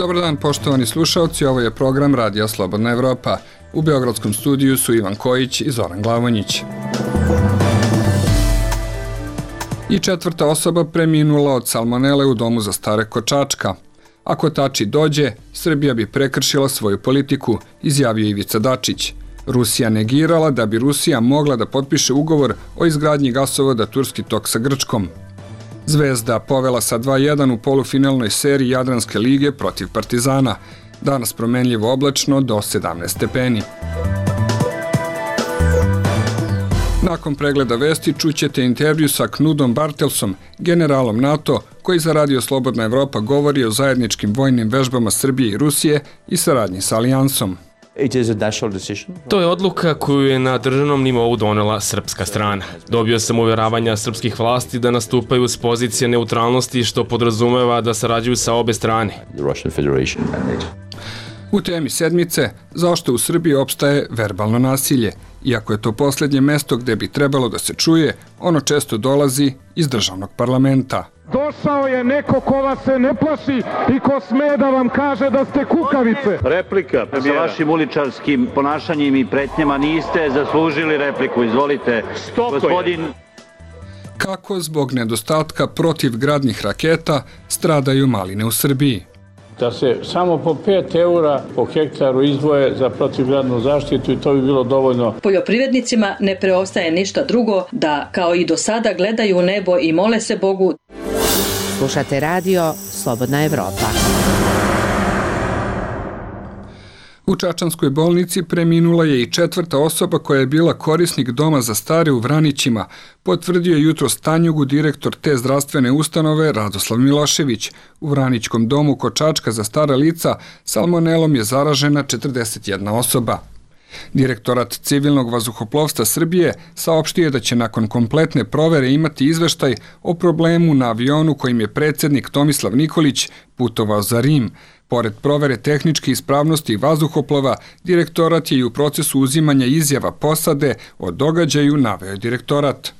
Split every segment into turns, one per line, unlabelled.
Dobar dan, poštovani slušalci, ovo je program Radija Slobodna Evropa. U beogradskom studiju su Ivan Kojić i Zoran Glavonjić. I četvrta osoba preminula od salmonele u domu za stare kod Čačka. Ako Tači dođe, Srbija bi prekršila svoju politiku, izjavio Ivica Dačić. Rusija negirala da bi Rusija mogla da potpiše ugovor o izgradnji gasovoda Turski tok sa Grčkom. Zvezda povela sa 2:1 u polufinalnoj seriji Jadranske lige protiv Partizana. Danas promenljivo oblačno do 17 stepeni. Nakon pregleda vesti čućete intervju sa Knudom Bartelsom, generalom NATO, koji za Radio Slobodna Evropa govori o zajedničkim vojnim vežbama Srbije i Rusije i saradnji sa Alijansom.
To je odluka koju je na državnom nivou donela srpska strana. Dobio sam uvjeravanja srpskih vlasti da nastupaju s pozicije neutralnosti, što podrazumeva da sarađuju sa obe strane.
U temi sedmice, zašto u Srbiji opstaje verbalno nasilje? Iako je to posljednje mesto gde bi trebalo da se čuje, ono često dolazi iz državnog parlamenta.
Došao je neko ko vas se ne plaši i ko sme da vam kaže da ste kukavice.
Replika. Sa vašim uličarskim ponašanjem i pretnjama niste zaslužili repliku. Izvolite. Gospodin...
Kako zbog nedostatka protivgradnih raketa stradaju maline u Srbiji?
Da se samo po 5 € po hektaru izdvoje za protivgradnu zaštitu i to bi bilo dovoljno.
Poljoprivrednicima ne preostaje ništa drugo da kao i do sada gledaju u nebo i mole se Bogu.
Slušate radio Slobodna Evropa.
U Čačanskoj bolnici preminula je i četvrta osoba koja je bila korisnik doma za stare u Vranićima, potvrdio je jutros Tanjugu direktor te zdravstvene ustanove Radoslav Milošević. U Vranićkom domu kod Čačka za stara lica salmonelom je zaražena 41 osoba. Direktorat civilnog vazduhoplovstva Srbije saopštio je da će nakon kompletne provere imati izveštaj o problemu na avionu kojim je predsjednik Tomislav Nikolić putovao za Rim. Pored provere tehničke ispravnosti vazduhoplova, direktorat je i u procesu uzimanja izjava posade o događaju, naveo je direktorat.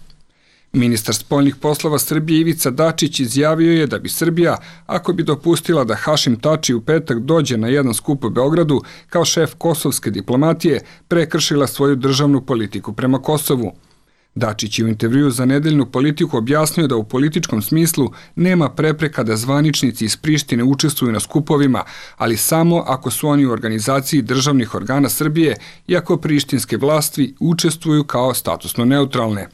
Ministar spoljnih poslova Srbije Ivica Dačić izjavio je da bi Srbija, ako bi dopustila da Hašim Tači u petak dođe na jedan skup u Beogradu kao šef kosovske diplomatije, prekršila svoju državnu politiku prema Kosovu. Dačić je u intervjuu za Nedeljnu Politiku objasnio da u političkom smislu nema prepreka da zvaničnici iz Prištine učestvuju na skupovima, ali samo ako su oni u organizaciji državnih organa Srbije i ako prištinske vlasti učestvuju kao statusno neutralne.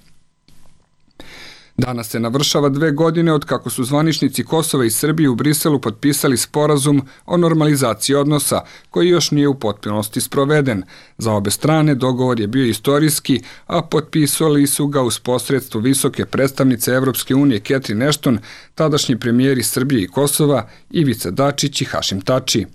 Danas se navršava 2 godine od kako su zvaničnici Kosova i Srbije u Briselu potpisali sporazum o normalizaciji odnosa, koji još nije u potpunosti sproveden. Za obe strane dogovor je bio istorijski, a potpisali su ga uz posredstvo visoke predstavnice Evropske unije Catherine Ashton, tadašnji premijeri Srbije i Kosova Ivica Dačić i Hašim Tači.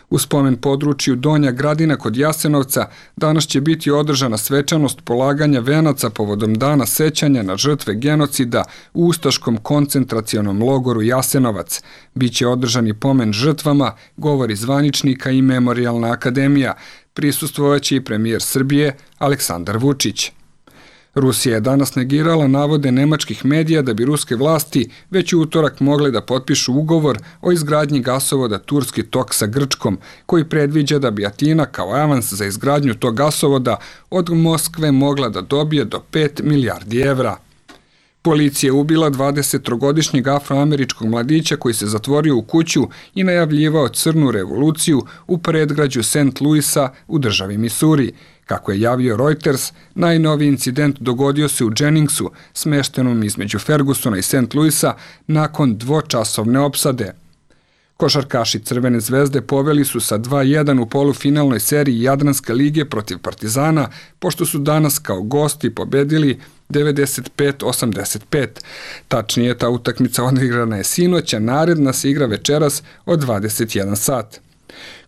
U spomen području Donja Gradina kod Jasenovca danas će biti održana svečanost polaganja venaca povodom dana sećanja na žrtve genocida u ustaškom koncentracionom logoru Jasenovac. Biće održani pomen žrtvama, govori zvaničnika i Memorijalna akademija. Prisustvovaće i premijer Srbije Aleksandar Vučić. Rusija je danas negirala navode nemačkih medija da bi ruske vlasti već u utorak mogle da potpišu ugovor o izgradnji gasovoda Turski tok sa Grčkom, koji predviđa da bi Atina kao avans za izgradnju tog gasovoda od Moskve mogla da dobije do 5 milijardi evra. Policija je ubila 23-godišnjeg afroameričkog mladića koji se zatvorio u kuću i najavljivao crnu revoluciju u predgrađu St. Louisa u državi Missouri. Kako je javio Reuters, najnoviji incident dogodio se u Jenningsu, smeštenom između Fergusona i St. Louisa, nakon dvočasovne opsade. Košarkaši Crvene zvezde poveli su sa 2:1 u polufinalnoj seriji Jadranske lige protiv Partizana, pošto su danas kao gosti pobedili 95-85. Tačnije, ta utakmica odigrana je sinoć, a naredna se igra večeras od 21 sat.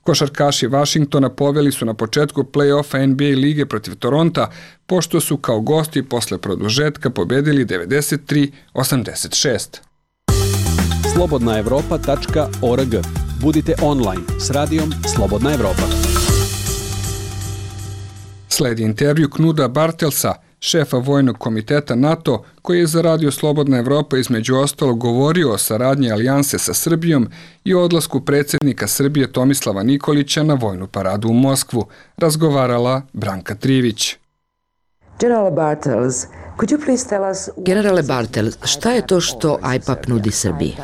Košarkaši Vašingtona poveli su na početku play-offa NBA lige protiv Toronta, pošto su kao gosti posle produžetka pobedili 93-86.
slobodnaevropa.org. Budite online s radijom Slobodna Evropa.
Sledi intervju Knuda Bartelsa, šefa Vojnog komiteta NATO, koji je za Radio Slobodna Evropa između ostalog govorio o saradnji alijanse sa Srbijom i o odlasku predsjednika Srbije Tomislava Nikolića na vojnu paradu u Moskvu, razgovarala Branka Trivić.
Generale Bartels, šta je to što IPAP nudi Srbiji?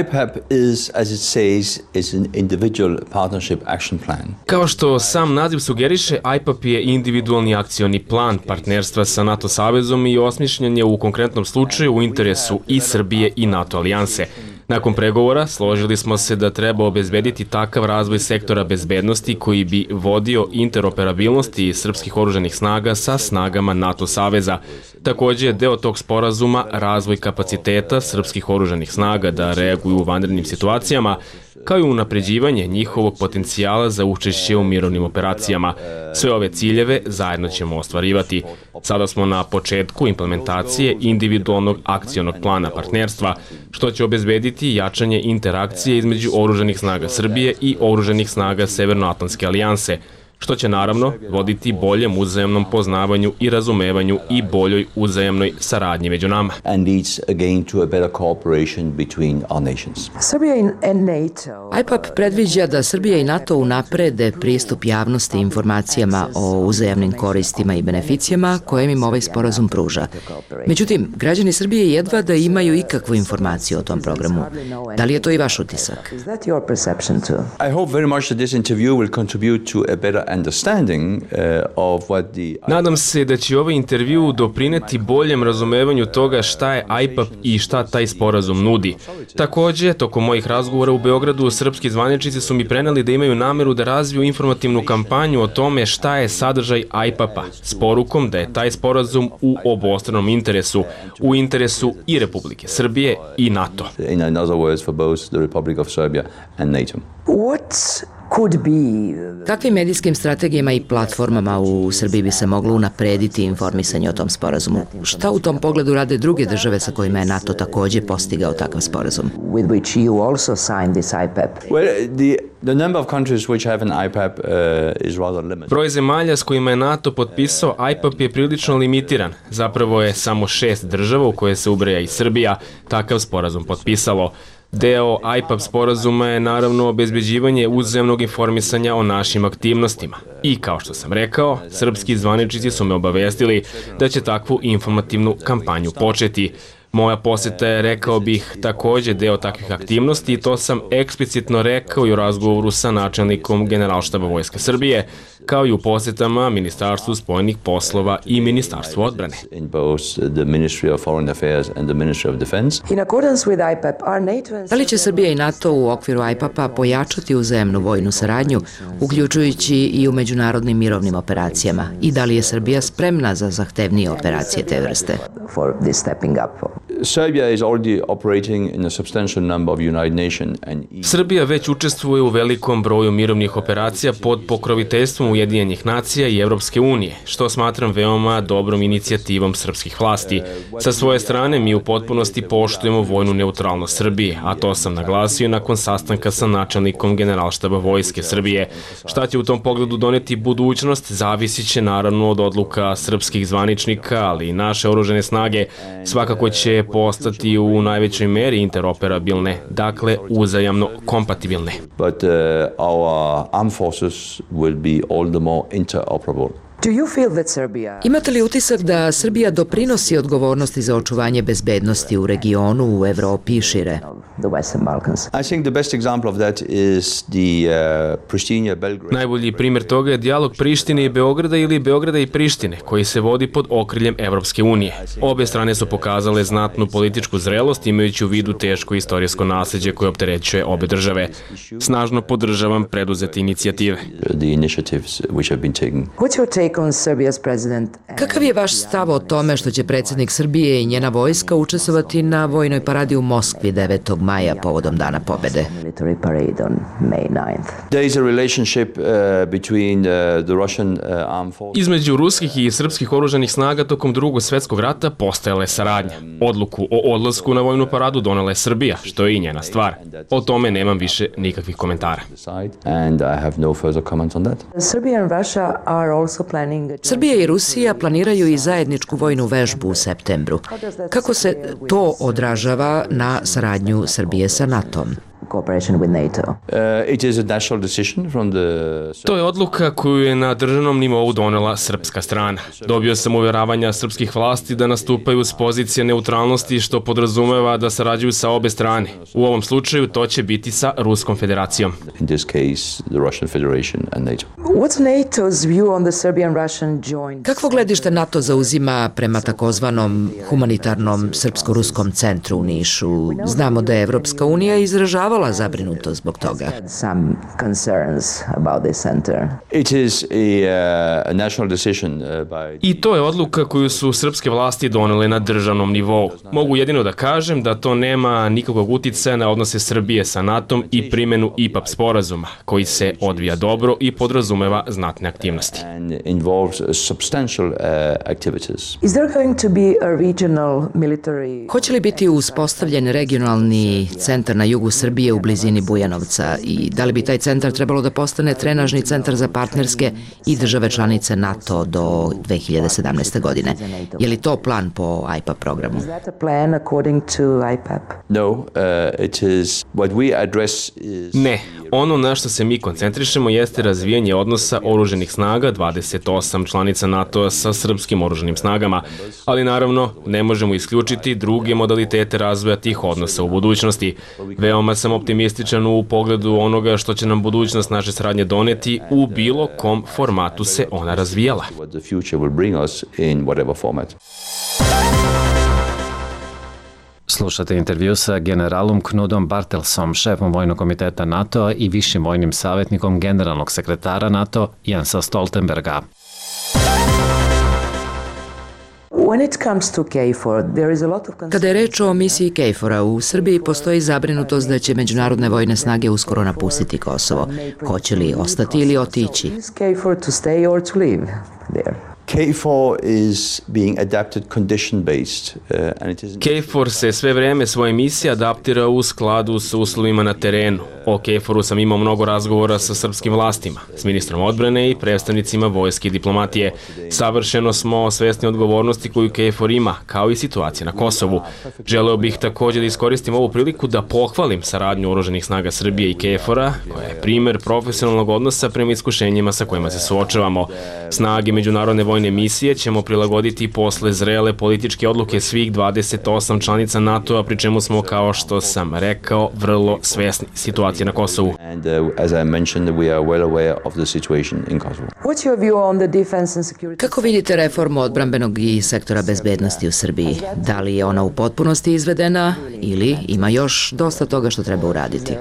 IPAP is, as it says, is an individual partnership action plan.
Kao što sam naziv sugeriše, IPAP je individualni akcioni plan partnerstva sa NATO savezom i osmišljen je u konkretnom slučaju u interesu i Srbije i NATO alijanse. Nakon pregovora složili smo se da treba obezbediti takav razvoj sektora bezbednosti koji bi vodio interoperabilnosti srpskih oružanih snaga sa snagama NATO saveza. Takođe je deo tog sporazuma razvoj kapaciteta srpskih oružanih snaga da reaguju u vanrednim situacijama, kao i unapređivanje njihovog potencijala za učešće u mirovnim operacijama. Sve ove ciljeve zajedno ćemo ostvarivati. Sada smo na početku implementacije individualnog akcionog plana partnerstva, što će obezbediti jačanje interakcije između oružanih snaga Srbije i oružanih snaga Severnoatlantske alijanse, što će naravno voditi boljem uzajamnom poznavanju i razumevanju i boljoj uzajamnoj saradnji među nama.
IPAP predviđa da Srbija i NATO unaprede pristup javnosti informacijama o uzajamnim koristima i beneficijama koje im ovaj sporazum pruža. Međutim, građani Srbije jedva da imaju ikakvu informaciju o tom programu. Da li je to i vaš utisak?
I hope very much that this interview will contribute to a better
Nadam se da će ovaj intervju doprineti boljem razumevanju toga šta je IPAP i šta taj sporazum nudi. Takođe, tokom mojih razgovora u Beogradu, srpski zvaničnici su mi preneli da imaju nameru da razviju informativnu kampanju o tome šta je sadržaj IPAP-a, s porukom da je taj sporazum u obostranom interesu, u interesu i Republike Srbije i NATO.
In other words, for both the Republic of Serbia and NATO.
Kakvim medijskim strategijama i platformama u Srbiji bi se moglo unaprediti informisanje o tom sporazumu? Šta u tom pogledu rade druge države sa kojima je NATO takođe postigao takav sporazum?
Broj zemalja s kojima je NATO potpisao IPAP je prilično limitiran. Zapravo je samo 6 država u koje se ubraja i Srbija takav sporazum potpisalo. Deo IPAP sporazuma je naravno obezbeđivanje uzajamnog informisanja o našim aktivnostima. I kao što sam rekao, srpski zvaničnici su me obavestili da će takvu informativnu kampanju početi. Moja poseta je, rekao bih, takođe deo takvih aktivnosti i to sam eksplicitno rekao i u razgovoru sa načelnikom Generalštaba Vojske Srbije, kao i u posetama Ministarstvu spoljnih poslova i Ministarstvu odbrane.
Da li će Srbija i NATO u okviru IPAP-a pojačati uzajamnu vojnu saradnju, uključujući i u međunarodnim mirovnim operacijama? I da li je Srbija spremna za zahtevnije operacije te vrste?
Srbija već učestvuje u velikom broju mirovnih operacija pod pokroviteljstvom Ujedinjenih nacija i Evropske unije, što smatram veoma dobrom inicijativom srpskih vlasti. Sa svoje strane mi u potpunosti poštujemo vojnu neutralnost Srbije, a to sam naglasio nakon sastanka sa načelnikom Generalštaba Vojske Srbije. Šta će u tom pogledu doneti budućnost, zavisit će naravno od odluka srpskih zvaničnika, ali i naše oružane snage svakako će postati u najvećoj meri interoperabilne, dakle uzajamno kompatibilne.
But our armed forces will be all the more interoperable.
Imate li utisak da Srbija doprinosi odgovornosti za očuvanje bezbednosti u regionu, u Evropi i šire?
Najbolji primjer toga je dijalog Prištine i Beograda ili Beograda i Prištine, koji se vodi pod okriljem Evropske unije. Obe strane su pokazale znatnu političku zrelost imajući u vidu teško istorijsko nasleđe koje opterećuje obe države. Snažno podržavam preduzete inicijative.
Kakav je vaš stav o tome što će predsjednik Srbije i njena vojska učestvovati na vojnoj paradi u Moskvi 9. maja povodom Dana pobede.
Između ruskih i srpskih oružanih snaga tokom Drugog svjetskog rata postojala je saradnja. Odluku o odlasku na vojnu paradu donela je Srbija, što je i njena stvar. O tome nemam više nikakvih komentara.
Srbija i Rusija planiraju i zajedničku vojnu vežbu u septembru. Kako se to odražava na saradnju Srbije sa NATO-om?
To je odluka koju je na državnom nivou donela srpska strana. Dobio sam uvjeravanja srpskih vlasti da nastupaju s pozicije neutralnosti, što podrazumeva da sarađuju sa obe strane. U ovom slučaju to će biti sa Ruskom federacijom.
Kakvo gledište NATO zauzima prema takozvanom humanitarnom srpsko-ruskom centru u Nišu? Znamo da je Evropska unija izražavala zabrinutost zbog toga.
I to je odluka koju su srpske vlasti donele na državnom nivou. Mogu jedino da kažem da to nema nikakvog uticaja na odnose Srbije sa NATO-om i primjenu IPAP sporazuma, koji se odvija dobro i podrazumeva znatne aktivnosti.
Hoće li biti uspostavljen regionalni centar na jugu Srbije u blizini Bujanovca i da li bi taj centar trebalo da postane trenažni centar za partnerske i države članice NATO do 2017. godine? Je li to plan po IPAP programu?
Ne. Ono na što se mi koncentrišemo jeste razvijanje odnosa oruženih snaga 28 članica NATO-a sa srpskim oruženim snagama, ali naravno ne možemo isključiti druge modalitete razvoja tih odnosa u budućnosti. Veoma sam optimističan u pogledu onoga što će nam budućnost naše saradnje doneti u bilo kom formatu se ona razvijala.
Slušate intervju sa generalom Knudom Bartelsom, šefom vojnog komiteta NATO i višim vojnim savjetnikom generalnog sekretara NATO Jensa Stoltenberga.
Kada je reč o misiji KFOR-a, u Srbiji postoji zabrinutost da će međunarodne vojne snage uskoro napustiti Kosovo. Hoće li ostati ili otići?
KFOR se sve vreme svoje misije adaptira u skladu s uslovima na terenu. O KFOR-u sam imao mnogo razgovora sa srpskim vlastima, s ministrom odbrane i predstavnicima vojske i diplomatije. Savršeno smo svesni odgovornosti koju KFOR ima, kao i situacije na Kosovu. Želeo bih također da iskoristim ovu priliku da pohvalim saradnju oruženih snaga Srbije i KFOR-a, koja je primer profesionalnog odnosa prema iskušenjima sa kojima se suočavamo. Snage međunarodne vojne misije ćemo prilagoditi posle zrele političke odluke svih 28 članica NATO-a, pri čemu smo, kao što sam rekao, vrlo svesni situacije na Kosovu.
Kako vidite reformu odbrambenog i sektora bezbednosti u Srbiji? Da li je ona u potpunosti izvedena ili ima još dosta toga što treba uraditi?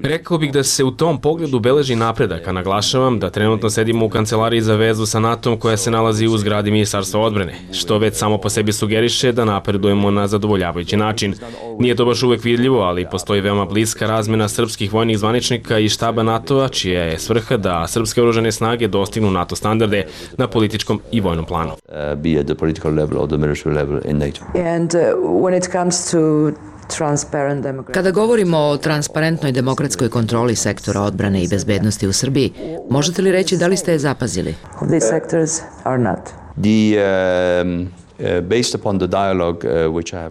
Rekao bih da se u tom pogledu beleži napredak, a naglašavam da trenutno sedimo u kancelariji za vezu sa NATO-om koja se nalazi u zgradi Ministarstva odbrane, što već samo po sebi sugeriše da napredujemo na zadovoljavajući način. Nije to baš uvek vidljivo, ali postoji veoma bliska razmena srpskih vojnih zvaničnika i štaba NATO-a, čija je svrha da srpske oružane snage dostignu NATO standarde na političkom i vojnom planu.
Kada govorimo o transparentnoj demokratskoj kontroli sektora odbrane i bezbednosti u Srbiji, možete li reći da li ste je zapazili?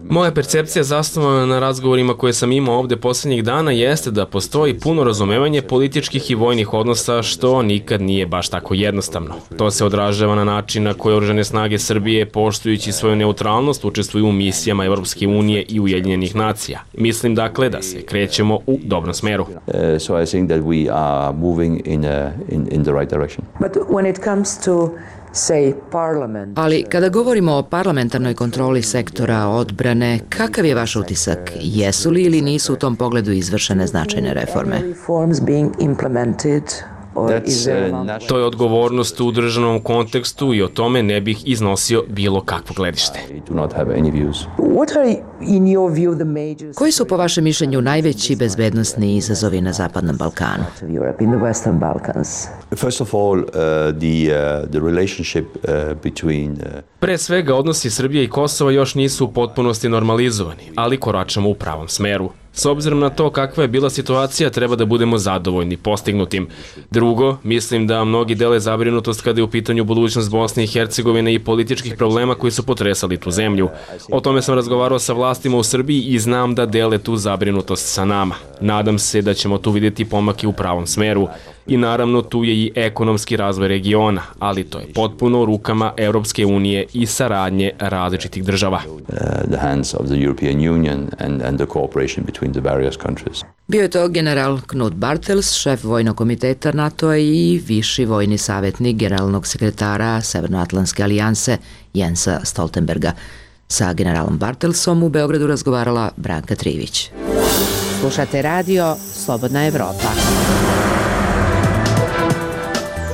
Moja percepcija zasnovana na razgovorima koje sam imao ovde posljednjih dana jeste da postoji puno razumevanje političkih i vojnih odnosa, što nikad nije baš tako jednostavno. To se odražava na način na koje oružane snage Srbije, poštujući svoju neutralnost, učestvuju u misijama Evropske unije i Ujedinjenih nacija. Mislim dakle da se krećemo u dobrom smeru.
Ali kada govorimo o parlamentarnoj kontroli sektora odbrane, kakav je vaš utisak? Jesu li ili nisu u tom pogledu izvršene značajne reforme?
To je odgovornost u državnom kontekstu i o tome ne bih iznosio bilo kakvo gledište.
Koji su po vašem mišljenju najveći bezbednosni izazovi na Zapadnom Balkanu?
Pre svega, odnosi Srbije i Kosova još nisu u potpunosti normalizovani, ali koračamo u pravom smeru. S obzirom na to kakva je bila situacija, treba da budemo zadovoljni postignutim. Drugo, mislim da mnogi dele zabrinutost kada je u pitanju budućnost Bosne i Hercegovine i političkih problema koji su potresali tu zemlju. O tome sam razgovarao sa vlastima u Srbiji i znam da dele tu zabrinutost sa nama. Nadam se da ćemo tu vidjeti pomake u pravom smeru. I naravno tu je i ekonomski razvoj regiona, ali to je potpuno u rukama Europske unije i saradnje različitih država.
Bio je to general Knut Bartels, šef vojnog komiteta NATO-a i viši vojni savjetnik generalnog sekretara Severnoatlantske alijanse Jensa Stoltenberga. Sa generalom Bartelsom u Beogradu razgovarala Branka Trivić.
Slušate radio Slobodna Evropa.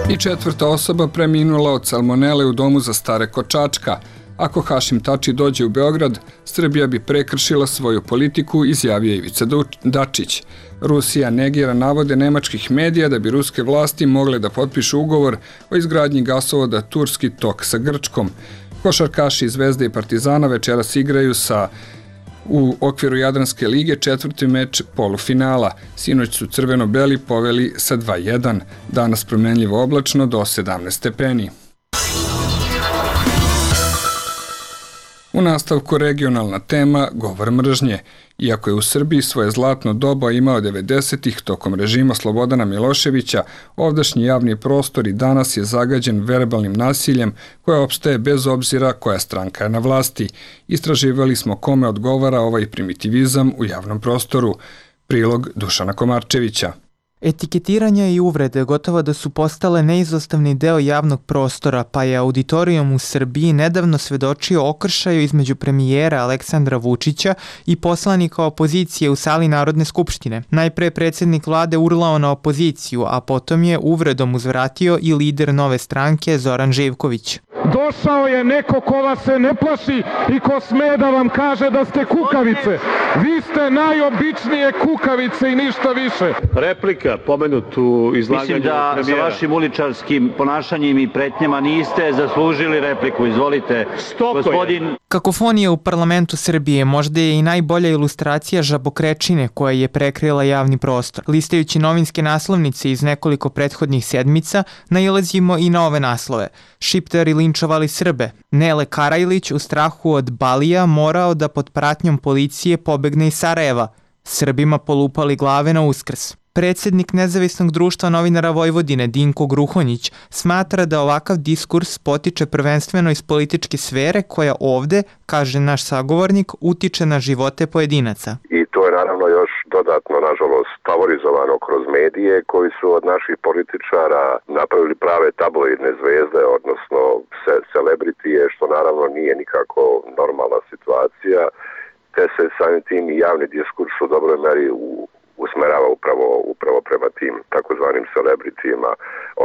I četvrta osoba preminula od salmonele u domu za stare kod Čačka. Ako Hašim Tači dođe u Beograd, Srbija bi prekršila svoju politiku, izjavio Ivica Dačić. Rusija negira navode nemačkih medija da bi ruske vlasti mogle da potpišu ugovor o izgradnji gasovoda Turski tok sa Grčkom. Košarkaši Zvezde i Partizana večeras igraju u okviru Jadranske lige četvrti meč polufinala. Sinoć su crveno-beli poveli sa 2:1. Danas promenljivo oblačno do 17 stepeni. U nastavku regionalna tema govor mržnje. Iako je u Srbiji svoje zlatno doba imao 90-ih tokom režima Slobodana Miloševića, ovdašnji javni prostor i danas je zagađen verbalnim nasiljem koje opstaje bez obzira koja stranka je na vlasti. Istraživali smo kome odgovara ovaj primitivizam u javnom prostoru. Prilog Dušana Komarčevića.
Etiketiranje i uvrede gotovo da su postale neizostavni deo javnog prostora, pa je auditorijum u Srbiji nedavno svedočio okršaju između premijera Aleksandra Vučića i poslanika opozicije u sali Narodne skupštine. Najpre predsjednik vlade urlao na opoziciju, a potom je uvredom uzvratio i lider Nove stranke Zoran Živković.
Došao je neko ko vas se ne plaši i ko sme da vam kaže da ste kukavice. Vi ste najobičnije kukavice i ništa više.
Replika, pomenutu izlaganju premijera. Mislim da sa vašim uličarskim ponašanjem i pretnjama niste zaslužili repliku. Izvolite, gospodin...
Kakofonija u parlamentu Srbije možda je i najbolja ilustracija žabokrečine koja je prekrila javni prostor. Listajući novinske naslovnice iz nekoliko prethodnih sedmica, nailazimo i na ove naslove. Šiptari linčovali Srbe. Nele Karajlić u strahu od Balija morao da pod pratnjom policije pobegne iz Sarajeva. Srbima polupali glave na Uskrs. Predsjednik Nezavisnog društva novinara Vojvodine Dinko Gruhonjić smatra da ovakav diskurs potiče prvenstveno iz političke sfere koja ovde, kaže naš sagovornik, utiče na živote pojedinaca.
I to je naravno još dodatno, nažalost, favorizovano kroz medije koji su od naših političara napravili prave tabloidne zvezde, odnosno celebritije, što naravno nije nikako normalna situacija, te se samim tim i javni diskurs u dobroj meri usmerava upravo prema tim takozvanim celebritijima,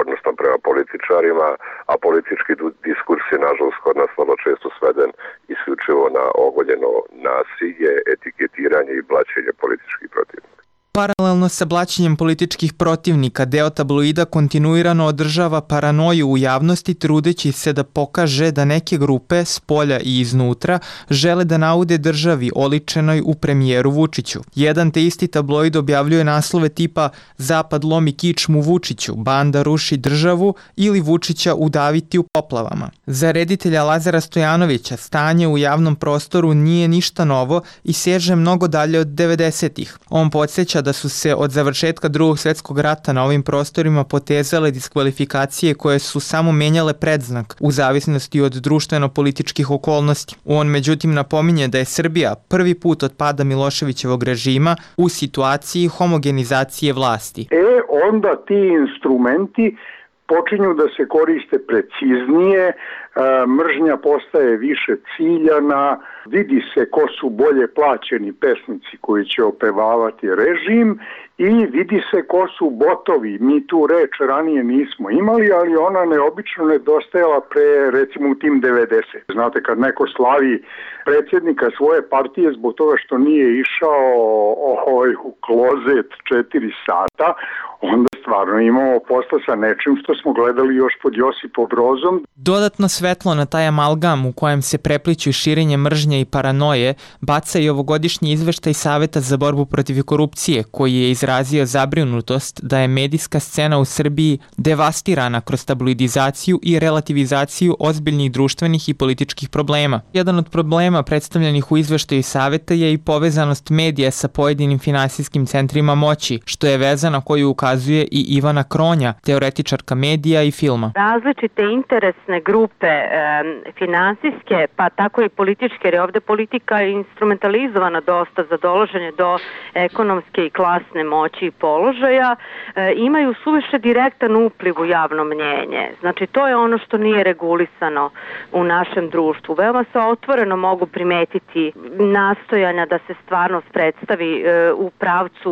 odnosno prema političarima, a politički diskurs je nažalost kod nas vrlo često sveden isključivo na ogoljeno nasilje, etiketiranje i blaćenje političkih protivnika.
Paralelno sa blaćenjem političkih protivnika, deo tabloida kontinuirano održava paranoju u javnosti trudeći se da pokaže da neke grupe, s polja i iznutra, žele da naude državi oličenoj u premijeru Vučiću. Jedan te isti tabloid objavljuje naslove tipa Zapad lomi kičmu Vučiću, banda ruši državu ili Vučića udaviti u poplavama. Za reditelja Lazara Stojanovića stanje u javnom prostoru nije ništa novo i seže mnogo dalje od 90-ih. On podsjeća da su se od završetka Drugog svjetskog rata na ovim prostorima potezale diskvalifikacije koje su samo menjale predznak u zavisnosti od društveno-političkih okolnosti. On međutim napominje da je Srbija prvi put od pada Miloševićevog režima u situaciji homogenizacije vlasti.
Onda ti instrumenti počinju da se koriste preciznije, mržnja postaje više ciljana, vidi se ko su bolje plaćeni pesnici koji će opevavati režim i vidi se ko su botovi. Mi tu reč ranije nismo imali, ali ona neobično nedostajala pre, recimo, u tim 90. Znate, kad neko slavi predsjednika svoje partije zbog toga što nije išao u klozet 4 sata, onda stvarno imamo posla sa nečim što smo gledali još pod Josipom Brozom.
Dodatno svetlo na taj amalgam u kojem se prepliću širenje mržnje i paranoje baca i ovogodišnji izveštaj Saveta za borbu protiv korupcije, koji je izrazio zabrinutost da je medijska scena u Srbiji devastirana kroz tabloidizaciju i relativizaciju ozbiljnih društvenih i političkih problema. Jedan od problema predstavljenih u izveštaju Saveta je i povezanost medija sa pojedinim finansijskim centrima moći, što je veza na koju ukazuje i Ivana Kronja, teoretičarka medija i filma.
Različite interesne grupe finansijske, pa tako i političke, jer je ovde politika instrumentalizovana dosta za dolaženje do ekonomske i klasne moći i položaja, imaju suviše direktan upliv u javno mnjenje. Znači, to je ono što nije regulisano u našem društvu. Veoma se otvoreno mogu primetiti nastojanja da se stvarnost predstavi u pravcu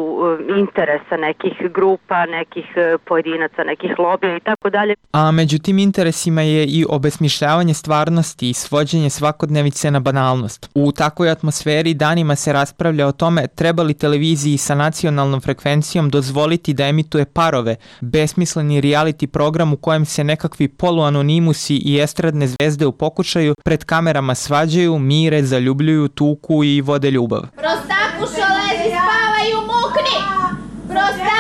interesa nekih grupa, nekih pojedinaca, nekih lobija i tako dalje.
A među tim interesima je i obesmišljavanje stvarnosti i svođenje svakodnevice na banalnost. U takvoj atmosferi danima se raspravlja o tome treba li televiziji sa nacionalnom frekvencijom dozvoliti da emituje Parove, besmisleni reality program u kojem se nekakvi poluanonimusi i estradne zvezde u pokušaju pred kamerama svađaju, mire, zaljubljuju, tuku i vode ljubav.
Prostakušo, lezi, spavaj, umukni! Prostakušo!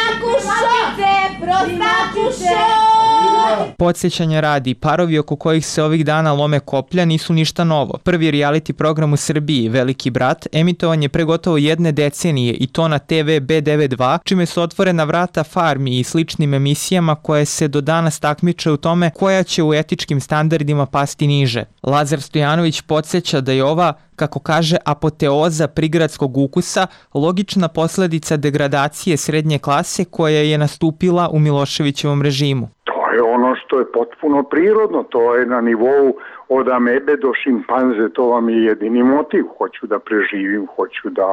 Podsjećanja radi, parovi oko kojih se ovih dana lome koplja nisu ništa novo. Prvi reality program u Srbiji, Veliki brat, emitovan je pre gotovo 1 decenije i to na TV B92, čime su otvorena vrata Farmi i sličnim emisijama koje se do danas takmiče u tome koja će u etičkim standardima pasti niže. Lazar Stojanović podsjeća da je ova, kako kaže, apoteoza prigradskog ukusa logična posledica degradacije srednje klase koja je nastupila u Miloševićevom režimu.
To je ono što je potpuno prirodno, to je na nivou od amebe do šimpanze, to vam je jedini motiv. Hoću da preživim, hoću da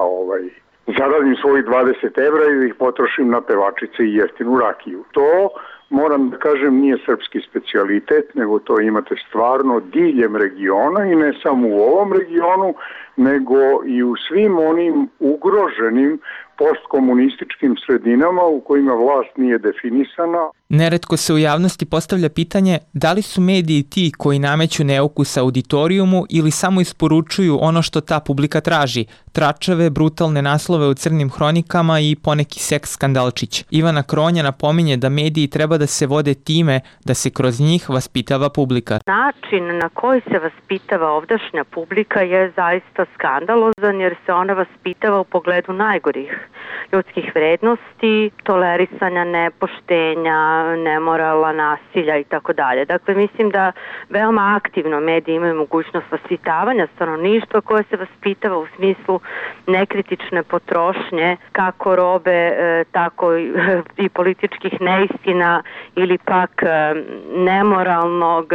zaradim svojih 20 evra i ih potrošim na pevačice i jeftinu rakiju. To, moram da kažem, nije srpski specijalitet, nego to imate stvarno diljem regiona i ne samo u ovom regionu, nego i u svim onim ugroženim postkomunističkim sredinama u kojima vlast nije definisana.
Neretko se u javnosti postavlja pitanje da li su mediji ti koji nameću neukus auditorijumu ili samo isporučuju ono što ta publika traži, tračave, brutalne naslove u crnim hronikama i poneki seks skandalčić. Ivana Kronja napominje da mediji treba da se vode time da se kroz njih vaspitava publika.
Način na koji se vaspitava ovdašnja publika je zaista skandalozan jer se ona vaspitava u pogledu najgorih ljudskih vrednosti, tolerisanja nepoštenja, nemorala, nasilja i tako dalje. Dakle, mislim da veoma aktivno mediji imaju mogućnost vaspitavanja stanovništva koje se vaspitava u smislu nekritične potrošnje kako robe, tako i političkih neistina ili pak nemoralnog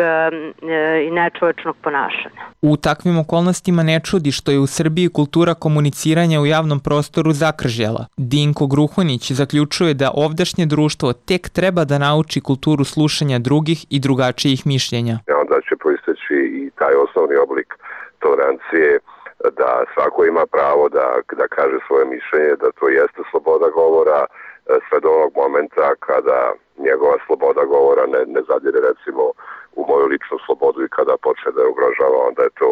i nečovečnog ponašanja.
U takvim okolnostima ne čudi što je u Srbiji kultura komuniciranja u javnom prostoru zakržjela. Dinko Gruhonić zaključuje da ovdašnje društvo tek treba da nauči kulturu slušanja drugih i drugačijih mišljenja.
Onda će proisteći i taj osnovni oblik tolerancije, da svako ima pravo da kaže svoje mišljenje, da to jeste sloboda govora, sve do onog momenta kada njegova sloboda govora ne zadire recimo u moju ličnu slobodu i kada počne da je ugrožava, onda je to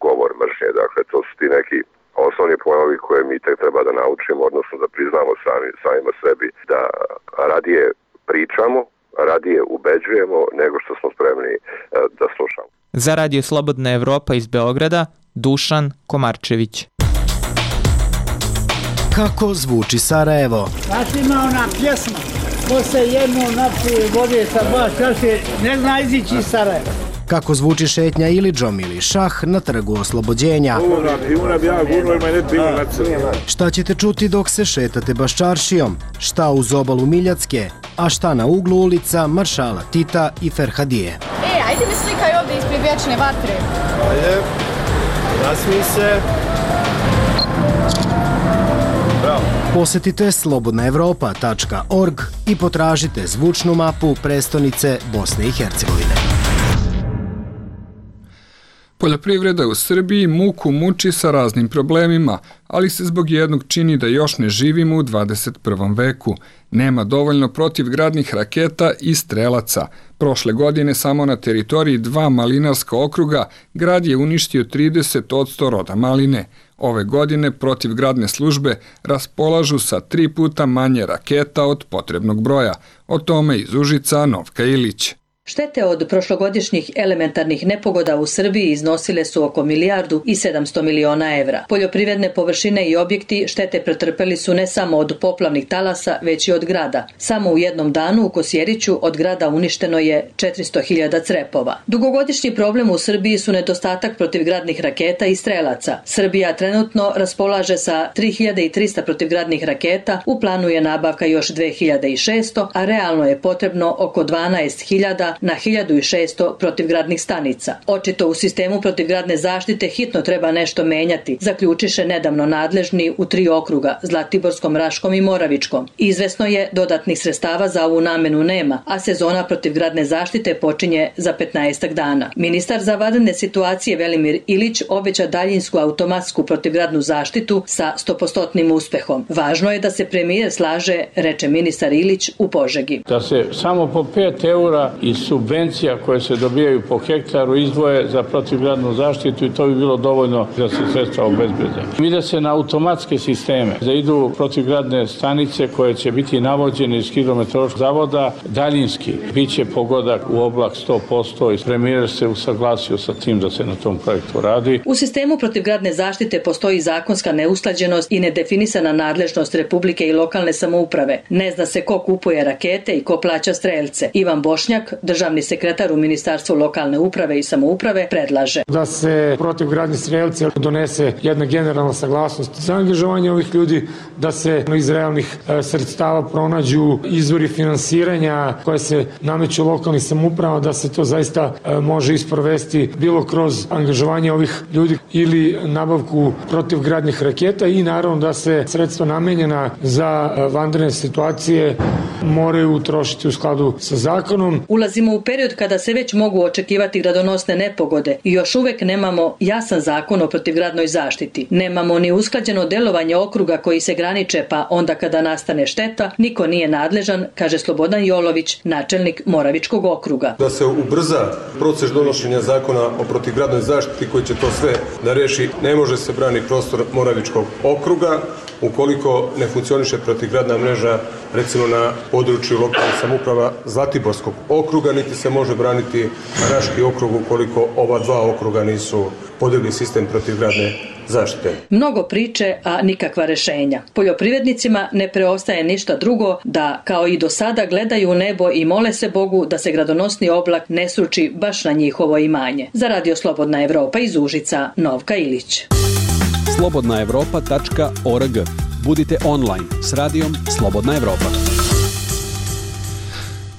govor mržnje. Dakle, to su ti neki osnovni pojmovi koje mi tek treba da naučimo, odnosno da priznamo samima sebi, da radije pričamo, radije ubeđujemo nego što smo spremni da slušamo.
Za Radio Slobodna Evropa iz Beograda, Dušan Komarčević.
Kako zvuči Sarajevo?
Znaš, ima ona pjesma, ko se jedno napije vode sa dva čaše, ne zna izići iz Sarajeva.
Kako zvuči šetnja Ilidžom ili šah na Trgu Oslobođenja? Šta ćete čuti dok se šetate Baščaršijom? Šta uz obalu Miljacke? A šta na uglu ulica Maršala Tita i Ferhadije?
Ajde mi slikaj ovdje ispred vječne vatre. Ajde.
Nasmij se. Bravo.
Posetite slobodnaevropa.org i potražite zvučnu mapu prestonice Bosne i Hercegovine.
Poljoprivreda u Srbiji muku muči sa raznim problemima, ali se zbog jednog čini da još ne živimo u 21. veku. Nema dovoljno protivgradnih raketa i strelaca. Prošle godine samo na teritoriji 2 malinarska okruga grad je uništio 30% roda maline. Ove godine protivgradne službe raspolažu sa 3 puta manje raketa od potrebnog broja. O tome iz Užica Novka Ilić.
Štete od prošlogodišnjih elementarnih nepogoda u Srbiji iznosile su oko 1,7 milijardi evra. Poljoprivredne površine i objekti štete pretrpeli su ne samo od poplavnih talasa, već i od grada. Samo u jednom danu u Kosjeriću od grada uništeno je 400.000 crepova. Dugogodišnji problem u Srbiji su nedostatak protivgradnih raketa i strelaca. Srbija trenutno raspolaže sa 3300 protivgradnih raketa, u planu je nabavka još 2600, a realno je potrebno oko 12.000 na 1600 protivgradnih stanica. Očito u sistemu protivgradne zaštite hitno treba nešto menjati, zaključiše nedavno nadležni u 3 okruga, Zlatiborskom, Raškom i Moravičkom. Izvesno je dodatnih sredstava za ovu namenu nema, a sezona protivgradne zaštite počinje za 15 dana. Ministar za vanredne situacije Velimir Ilić obeća daljinsku automatsku protivgradnu zaštitu sa 100% uspehom. Važno je da se premijer slaže, reče ministar Ilić u Požegi.
Da se samo po 5 eura iz subvencija koje se dobijaju po hektaru izdvoje za protivgradnu zaštitu i to bi bilo dovoljno da se sredstva obezbede. Mi da se na automatske sisteme, da idu protivgradne stanice koje će biti navođene iz hidrometeorološkog zavoda, daljinski biće pogodak u oblak 100% i premijer se usaglasio sa tim da se na tom projektu radi.
U sistemu protivgradne zaštite postoji zakonska neusklađenost i nedefinisana nadležnost Republike i lokalne samouprave. Ne zna se ko kupuje rakete i ko plaća strelce. Ivan Bošnjak, državni sekretar u Ministarstvu lokalne uprave i samouprave, predlaže
da se protivgradni strelci donese jedna generalna saglasnost za angažovanje ovih ljudi, da se iz realnih sredstava pronađu izvori finansiranja koje se nameću lokalnim samoupravama, da se to zaista može isprovesti bilo kroz angažovanje ovih ljudi ili nabavku protivgradnih raketa i naravno da se sredstva namenjena za vanredne situacije moraju utrošiti u skladu sa zakonom.
Ulazimo u period kada se već mogu očekivati gradonosne nepogode i još uvek nemamo jasan zakon o protivgradnoj zaštiti. Nemamo ni usklađeno delovanje okruga koji se graniče, pa onda kada nastane šteta, niko nije nadležan, kaže Slobodan Jolović, načelnik Moravičkog okruga.
Da se ubrza proces donošenja zakona o protivgradnoj zaštiti koji će to sve da reši, ne može se brani prostor Moravičkog okruga ukoliko ne funkcioniše protivgradna mreža recimo na području lokalnih samouprava Zlatiborskog okruga, niti se može braniti Raški okrug ukoliko ova 2 okruga nisu podigli sistem protivgradne zaštite.
Mnogo priče, a nikakva rešenja. Poljoprivrednicima ne preostaje ništa drugo da, kao i do sada, gledaju u nebo i mole se Bogu da se gradonosni oblak ne sruči baš na njihovo imanje. Za Radio Slobodna Evropa iz Užica, Novka Ilić.
slobodnaevropa.org. Budite online s radijom Slobodna Evropa.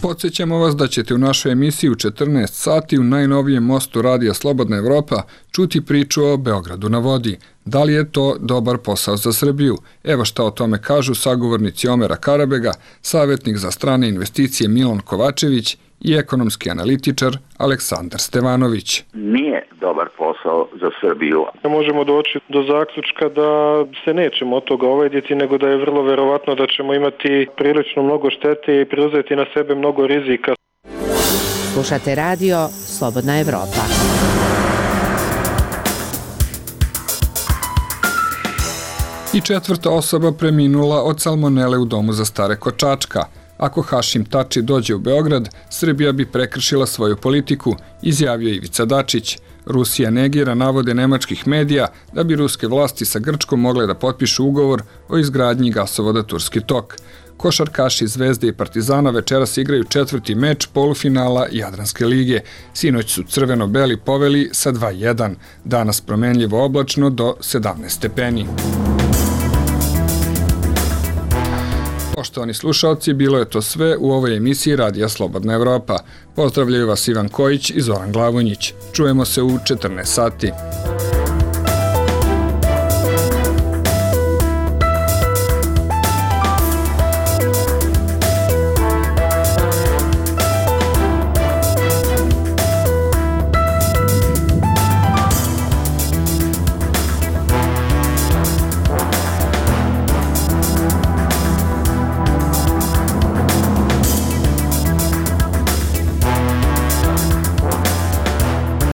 Podsjećamo vas da ćete u našoj emisiji u 14 sati u najnovijem mostu Radija Slobodna Evropa čuti priču o Beogradu na vodi. Da li je to dobar posao za Srbiju? Evo šta o tome kažu sagovornici Omera Karabega, savjetnik za strane investicije Milan Kovačević i ekonomski analitičar Aleksandar Stevanović.
Nije dobar posao za Srbiju.
Možemo doći do zaključka da se nećemo od toga ovajditi, nego da je vrlo verovatno da ćemo imati prilično mnogo štete i preuzeti na sebe mnogo rizika.
Slušate radio Slobodna Evropa.
I 4. osoba preminula od salmonele u domu za stare kod Čačka. Ako Hašim Tači dođe u Beograd, Srbija bi prekršila svoju politiku, izjavio Ivica Dačić. Rusija negira navode nemačkih medija da bi ruske vlasti sa Grčkom mogle da potpišu ugovor o izgradnji gasovoda Turski tok. Košarkaši Zvezde i Partizana večeras igraju 4. meč polufinala Jadranske lige. Sinoć su crveno-beli poveli sa 2:1. Danas promenljivo oblačno do 17 stepeni. Poštovani slušalci, bilo je to sve u ovoj emisiji Radija Slobodna Evropa. Pozdravljaju vas Ivan Kojić i Zoran Glavonjić. Čujemo se u 14 sati.